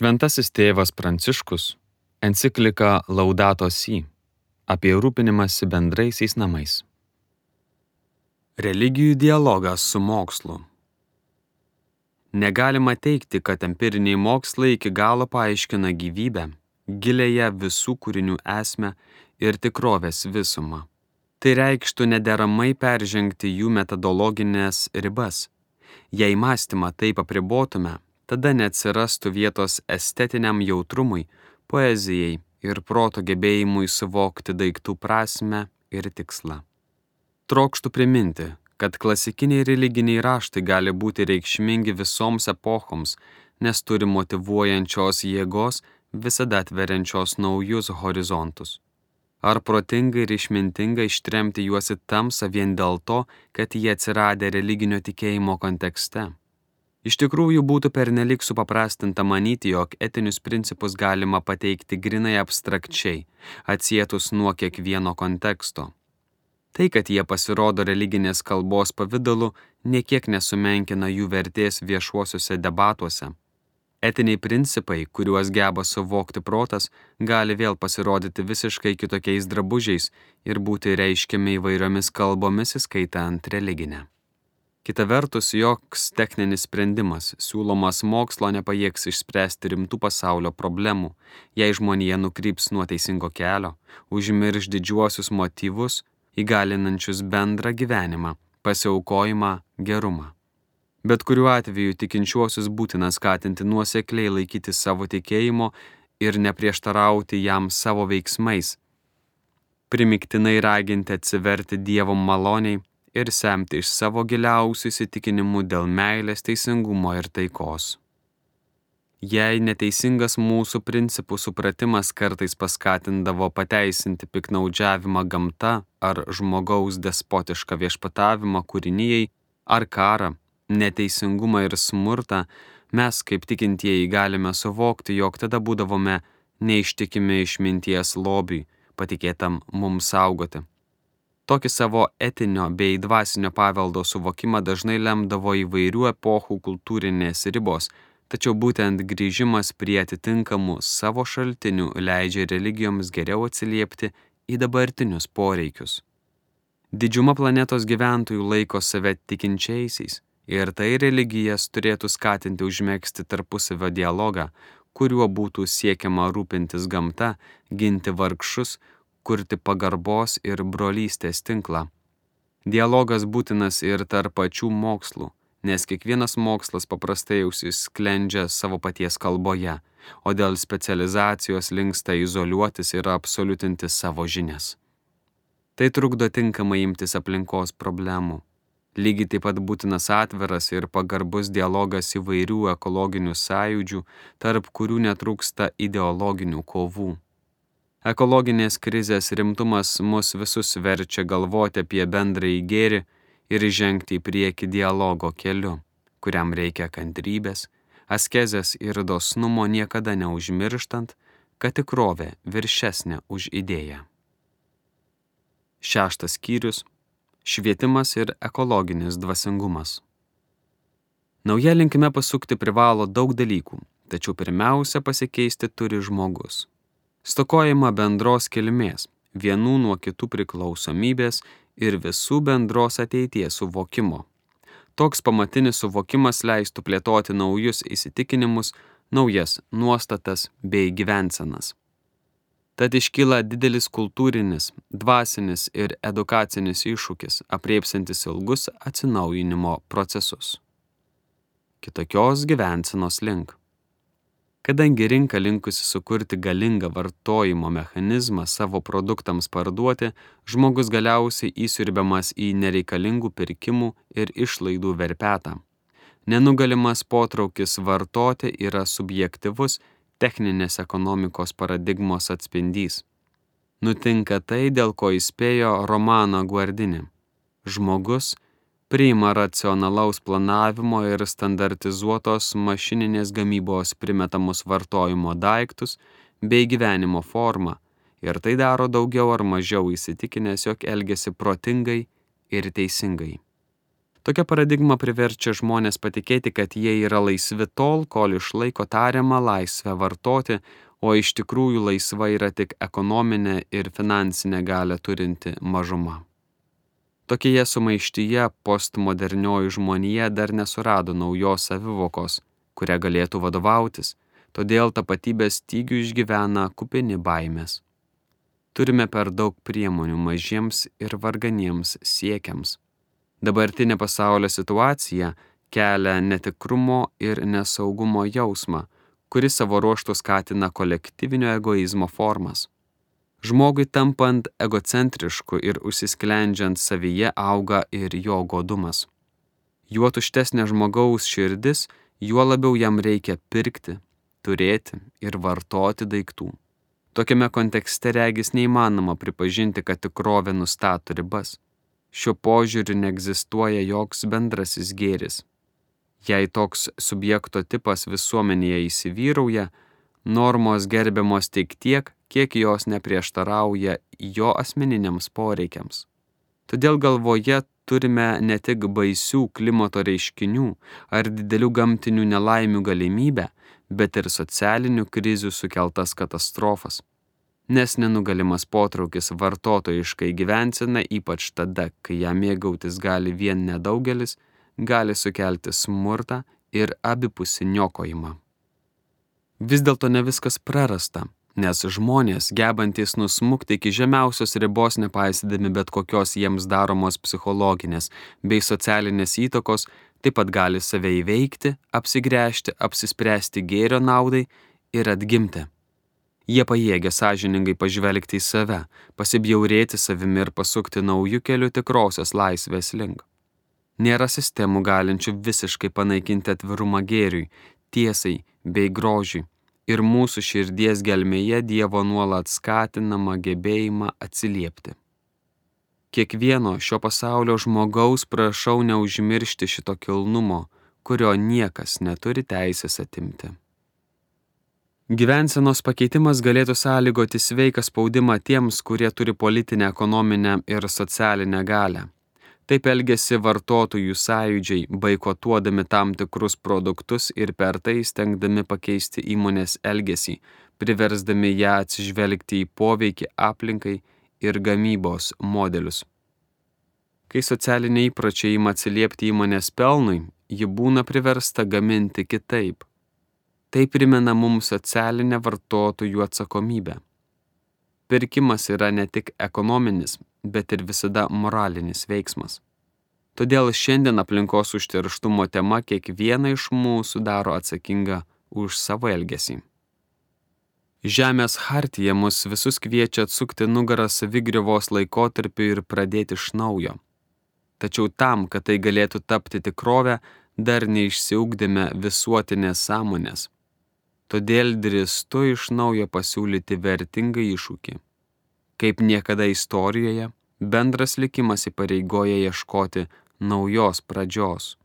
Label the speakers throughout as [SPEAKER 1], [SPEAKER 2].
[SPEAKER 1] Šventasis tėvas Pranciškus enciklika Laudato Si apie rūpinimąsi bendraisiais namais. Religijų dialogas su mokslu. Negalima teigti, kad empiriniai mokslai iki galo paaiškina gyvybę, gilėje visų kūrinių esmę ir tikrovės visumą. Tai reikštų nederamai peržengti jų metodologinės ribas. Jei mąstymą taip apribotume, tada neatsirastų vietos estetiniam jautrumui, poezijai ir proto gebėjimui suvokti daiktų prasmę ir tikslą. Trokštų priminti, kad klasikiniai religiniai raštai gali būti reikšmingi visoms epochoms, nes turi motyvuojančios jėgos, visada atveriančios naujus horizontus. Ar protinga ir išmintinga ištremti juos į tamsą vien dėl to, kad jie atsiradę religinio tikėjimo kontekste? Iš tikrųjų būtų pernelyg supaprastinta manyti, jog etinius principus galima pateikti grinai abstrakčiai, atsietus nuo kiekvieno konteksto. Tai, kad jie pasirodo religinės kalbos pavidalu, niekiek nesumenkina jų vertės viešuosiuose debatuose. Etiniai principai, kuriuos geba suvokti protas, gali vėl pasirodyti visiškai kitokiais drabužiais ir būti reiškiami įvairiomis kalbomis, įskaitant religinę. Kita vertus, joks techninis sprendimas, siūlomas mokslo nepajėgs išspręsti rimtų pasaulio problemų, jei žmonija nukryps nuo teisingo kelio, užmirš didžiuosius motyvus, įgalinančius bendrą gyvenimą, pasiaukojimą, gerumą. Bet kuriuo atveju tikinčiuosius būtina skatinti nuosekliai laikyti savo tikėjimo ir neprieštarauti jam savo veiksmais, primygtinai raginti atsiverti Dievo maloniai ir semti iš savo giliausių įsitikinimų dėl meilės, teisingumo ir taikos. Jei neteisingas mūsų principų supratimas kartais paskatindavo pateisinti piknaudžiavimą gamta ar žmogaus despotišką viešpatavimą kūrinijai ar karą, neteisingumą ir smurtą, mes kaip tikintieji galime suvokti, jog tada būdavome neištikimi išminties lobiui, patikėtam mums saugoti. Tokį savo etinio bei dvasinio paveldo suvokimą dažnai lemdavo įvairių epochų kultūrinės ribos, tačiau būtent grįžimas prie atitinkamų savo šaltinių leidžia religijoms geriau atsiliepti į dabartinius poreikius. Didžiuma planetos gyventojų laiko save tikinčiaisiais, ir tai religijas turėtų skatinti užmegzti tarpusavio dialogą, kuriuo būtų siekiama rūpintis gamta, ginti vargšus, kurti pagarbos ir brolystės tinklą. Dialogas būtinas ir tarp pačių mokslų, nes kiekvienas mokslas paprastai užsisklendžia savo paties kalboje, o dėl specializacijos linksta izoliuotis ir absoliutinti savo žinias. Tai trukdo tinkamai imtis aplinkos problemų. Lygiai taip pat būtinas atviras ir pagarbus dialogas įvairių ekologinių sąjūdžių, tarp kurių netrūksta ideologinių kovų. Ekologinės krizės rimtumas mus visus verčia galvoti apie bendrąjį gėrį ir žengti į priekį dialogo keliu, kuriam reikia kantrybės, askezės ir dosnumo, niekada neužmirštant, kad tikrovė viršesnė už idėją. 6 skyrius. Švietimas ir ekologinis dvasingumas. Nauja linkme pasukti privalo daug dalykų, tačiau pirmiausia pasikeisti turi žmogus. Stokojama bendros kilmės, vienų nuo kitų priklausomybės ir visų bendros ateities suvokimo. Toks pamatinis suvokimas leistų plėtoti naujus įsitikinimus, naujas nuostatas bei gyvensenas. Tad iškyla didelis kultūrinis, dvasinis ir edukacinis iššūkis, apriepsiantis ilgus atsinaujinimo procesus. Kitokios gyvensenos link. Kadangi rinka linkusi sukurti galingą vartojimo mechanizmą savo produktams parduoti, žmogus galiausiai įsiurbiamas į nereikalingų pirkimų ir išlaidų verpetą. Nenugalimas potraukis vartoti yra subjektyvus, techninės ekonomikos paradigmos atspindys. Nutinka tai, dėl ko įspėjo Romano Guardini. Žmogus priima racionalaus planavimo ir standartizuotos mašininės gamybos primetamus vartojimo daiktus bei gyvenimo formą ir tai daro daugiau ar mažiau įsitikinęs, jog elgiasi protingai ir teisingai. Tokia paradigma priverčia žmonės patikėti, kad jie yra laisvi tol, kol išlaiko tariamą laisvę vartoti, o iš tikrųjų laisva yra tik ekonominė ir finansinė galią turinti mažuma. Tokioje sumaištyje postmodernioji žmonija dar nesurado naujos savivokos, kuria galėtų vadovautis, todėl tapatybės stygių išgyvena kupini baimės. Turime per daug priemonių mažiems ir varganiems siekiams. Dabartinė pasaulio situacija kelia netikrumo ir nesaugumo jausmą, kuris savo ruožtu skatina kolektyvinio egoizmo formas. Žmogui tampant egocentrišku ir užsisklendžiant savyje auga ir jo godumas. Juo tuštesnė žmogaus širdis, juo labiau jam reikia pirkti, turėti ir vartoti daiktų. Tokiame kontekste regis neįmanoma pripažinti, kad tikrovė nustato ribas. Šiuo požiūriu neegzistuoja joks bendrasis gėris. Jei toks subjekto tipas visuomenėje įsivyrauja, normos gerbiamos tik tiek, kiek jos neprieštarauja jo asmeniniams poreikiams. Todėl galvoje turime ne tik baisių klimato reiškinių ar didelių gamtinių nelaimių galimybę, bet ir socialinių krizių sukeltas katastrofas. Nes nenugalimas potraukis vartotojiškai gyvensenai, ypač tada, kai ją mėgautis gali vien nedaugelis, gali sukelti smurtą ir abipusį niokojimą. Vis dėlto ne viskas prarasta, nes žmonės, gebantys nusmukti iki žemiausios ribos nepaisydami bet kokios jiems daromos psichologinės bei socialinės įtakos, taip pat gali save įveikti, apsigręžti, apsispręsti gėrio naudai ir atgimti. Jie pajėgia sąžiningai pažvelgti į save, pasibjaurėti savimi ir pasukti naujų kelių tikrosios laisvės link. Nėra sistemų galinčių visiškai panaikinti atvirumą gėriui, tiesai bei grožiui ir mūsų širdies gelmėje Dievo nuolat skatinamą gebėjimą atsiliepti. Kiekvieno šio pasaulio žmogaus prašau neužmiršti šito kilnumo, kurio niekas neturi teisės atimti. Gyvensenos pakeitimas galėtų sąlygoti sveiką spaudimą tiems, kurie turi politinę, ekonominę ir socialinę galią. Taip elgiasi vartotojų sąjūdžiai, boikotuodami tam tikrus produktus ir per tai stengdami pakeisti įmonės elgesį, priversdami ją atsižvelgti į poveikį aplinkai ir gamybos modelius. Kai socialiniai įpročiai ima atsiliepti įmonės pelnui, ji būna priversta gaminti kitaip. Tai primena mums socialinę vartotojų atsakomybę. Pirkimas yra ne tik ekonominis, bet ir visada moralinis veiksmas. Todėl šiandien aplinkos užterštumo tema kiekvieną iš mūsų daro atsakingą už savo elgesį. Žemės chartija mus visus kviečia atsukti nugarą savigriovos laikotarpiu ir pradėti iš naujo. Tačiau tam, kad tai galėtų tapti tikrovę, dar neišsiugdėme visuotinės sąmonės. Todėl drįstu iš naujo pasiūlyti vertingą iššūkį. Kaip niekada istorijoje, bendras likimas įpareigoja ieškoti naujos pradžios.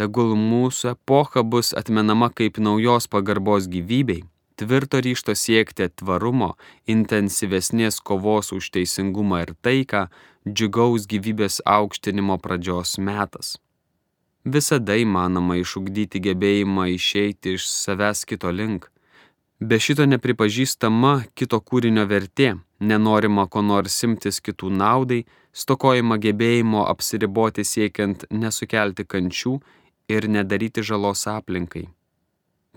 [SPEAKER 1] Tegul mūsų epocha bus atmenama kaip naujos pagarbos gyvybei, tvirto ryžto siekti tvarumo, intensyvesnės kovos už teisingumą ir taiką, džiugaus gyvybės aukštinimo pradžios metas. Visada įmanoma išugdyti gebėjimą išeiti iš savęs kito link. Be šito nepripažįstama kito kūrinio vertė, nenorima ko nors imtis kitų naudai, stokojama gebėjimo apsiriboti siekiant nesukelti kančių ir nedaryti žalos aplinkai.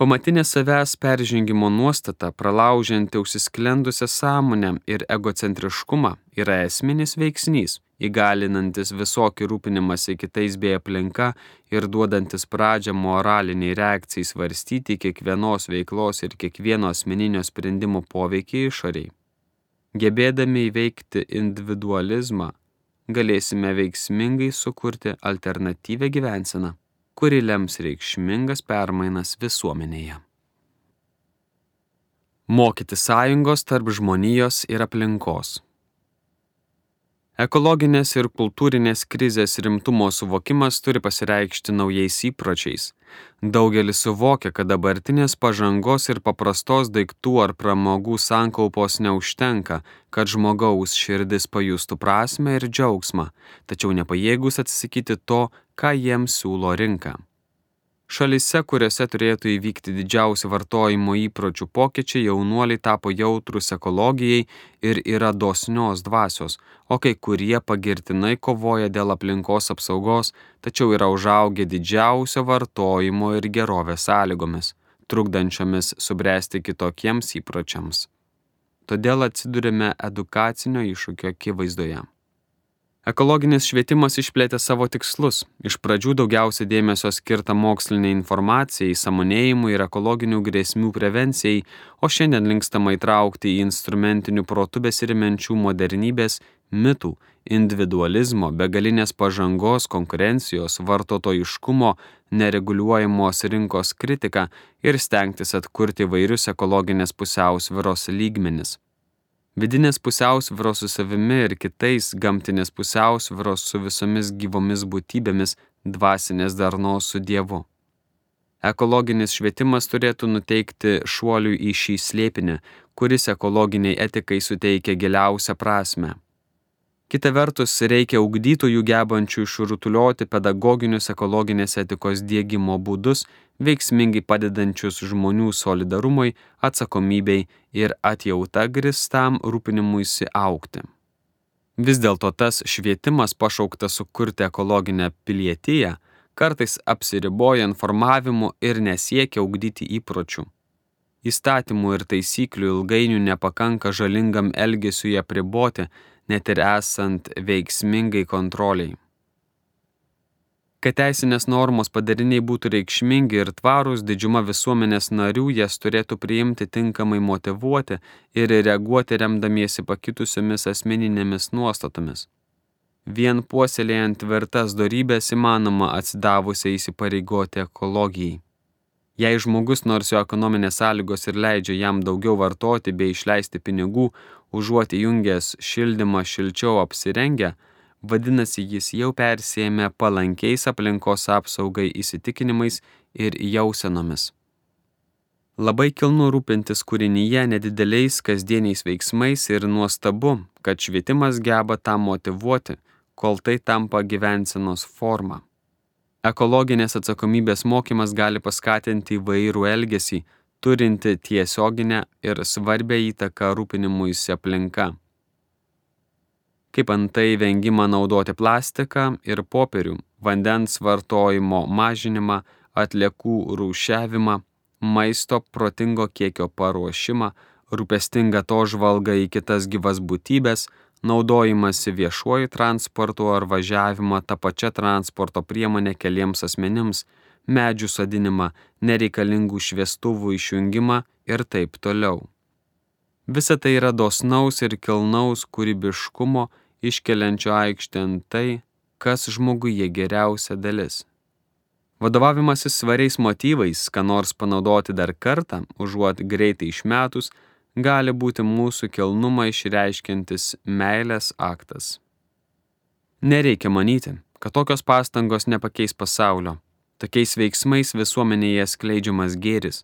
[SPEAKER 1] Pamatinė savęs peržengimo nuostata, pralaužianti užsisklendusią sąmonę ir egocentriškumą, yra esminis veiksnys, įgalinantis visokį rūpinimąsi kitais bei aplinka ir duodantis pradžią moraliniai reakcijai svarstyti kiekvienos veiklos ir kiekvieno asmeninio sprendimo poveikį išoriai. Gebėdami įveikti individualizmą, galėsime veiksmingai sukurti alternatyvią gyvenseną, kuri lems reikšmingas permainas visuomenėje. Mokyti sąjungos tarp žmonijos ir aplinkos. Ekologinės ir kultūrinės krizės rimtumo suvokimas turi pasireikšti naujais įpročiais, Daugelis suvokia, kad dabartinės pažangos ir paprastos daiktų ar pramogų sankaupos neužtenka, kad žmogaus širdis pajustų prasmę ir džiaugsmą, tačiau nepajėgus atsisakyti to, ką jiems siūlo rinka. Šalyse, kuriuose turėtų įvykti didžiausi vartojimo įpročių pokyčiai, jaunuoliai tapo jautrūs ekologijai ir yra dosnios dvasios, o kai kurie pagirtinai kovoja dėl aplinkos apsaugos, tačiau yra užaugę didžiausio vartojimo ir gerovės sąlygomis, trukdančiomis subręsti kitokiems įpročiams. Todėl atsidurime edukacinio iššūkio akivaizdoje. Ekologinis švietimas išplėtė savo tikslus. Iš pradžių daugiausia dėmesio skirta moksliniai informacijai, sąmonėjimui ir ekologinių grėsmių prevencijai, o šiandien linkstama įtraukti į instrumentinių protų besirimenčių modernybės, mitų, individualizmo, begalinės pažangos, konkurencijos, vartotojiškumo, nereguliuojamos rinkos kritiką ir stengtis atkurti įvairius ekologinės pusiausvyros lygmenis. Vidinės pusiausvyros su savimi ir kitais, gamtinės pusiausvyros su visomis gyvomis būtybėmis, dvasinės darnos su Dievu. Ekologinis švietimas turėtų nuteikti šuoliui į šį slėpinį, kuris ekologiniai etikai suteikia giliausią prasmę. Kita vertus, reikia ugdytojų gebančių išrutulioti pedagoginius ekologinės etikos diegimo būdus, veiksmingai padedančius žmonių solidarumui, atsakomybei ir atjauta grįstam rūpinimuisi augti. Vis dėlto tas švietimas pašauktas sukurti ekologinę pilietiją, kartais apsiriboja informavimu ir nesiekia ugdyti įpročių. Įstatymų ir taisyklių ilgainiui nepakanka žalingam elgesiui apriboti, net ir esant veiksmingai kontroliai. Kad teisinės normos padariniai būtų reikšmingi ir tvarūs, didžiuma visuomenės narių jas turėtų priimti tinkamai motyvuoti ir reaguoti remdamiesi pakitusiomis asmeninėmis nuostatomis. Vien puoselėjant tvirtas dorybės įmanoma atsidavusiai įsipareigoti ekologijai. Jei žmogus, nors jo ekonominės sąlygos ir leidžia jam daugiau vartoti bei išleisti pinigų, užuot įjungęs šildymą šilčiau apsirengę, vadinasi, jis jau persėmė palankiais aplinkos apsaugai įsitikinimais ir jausenomis. Labai kilnu rūpintis kūrinyje nedideliais kasdieniais veiksmais ir nuostabu, kad švietimas geba tą motyvuoti, kol tai tampa gyvensenos forma. Ekologinės atsakomybės mokymas gali paskatinti įvairų elgesį, turinti tiesioginę ir svarbią įtaką rūpinimuisi aplinka. Kaip antai vengimą naudoti plastiką ir popierių, vandens vartojimo mažinimą, atliekų rūšiavimą, maisto protingo kiekio paruošimą, rūpestingą to žvalgą į kitas gyvas būtybės, naudojimąsi viešuoju transportu ar važiavimą tą pačią transporto priemonę keliems asmenims, medžių sodinimą, nereikalingų šviestuvų išjungimą ir taip toliau. Visa tai yra dosnaus ir kilnaus kūrybiškumo, iškeliančio aikštėn tai, kas žmoguje geriausia dalis. Vadovavimasis svariais motyvais, ką nors panaudoti dar kartą, užuot greitai išmetus, gali būti mūsų kilnumą išreiškiantis meilės aktas. Nereikia manyti, kad tokios pastangos nepakeis pasaulio. Tokiais veiksmais visuomenėje skleidžiamas gėris,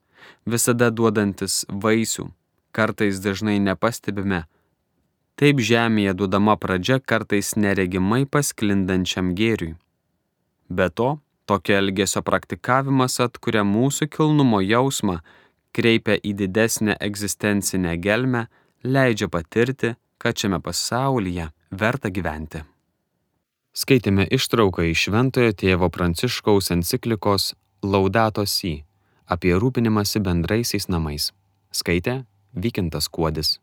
[SPEAKER 1] visada duodantis vaisių, kartais dažnai nepastebime. Taip žemėje duodama pradžia kartais neregimai pasklindančiam gėriui. Be to, tokio elgesio praktikavimas atkuria mūsų kilnumo jausmą, kreipia į didesnę egzistencinę gelmę, leidžia patirti, kad šiame pasaulyje verta gyventi. Skaitėme ištrauką iš Šventojo tėvo Pranciškaus enciklikos Laudato Si apie rūpinimąsi bendraisiais namais. Skaitė Vykintas Kuodis.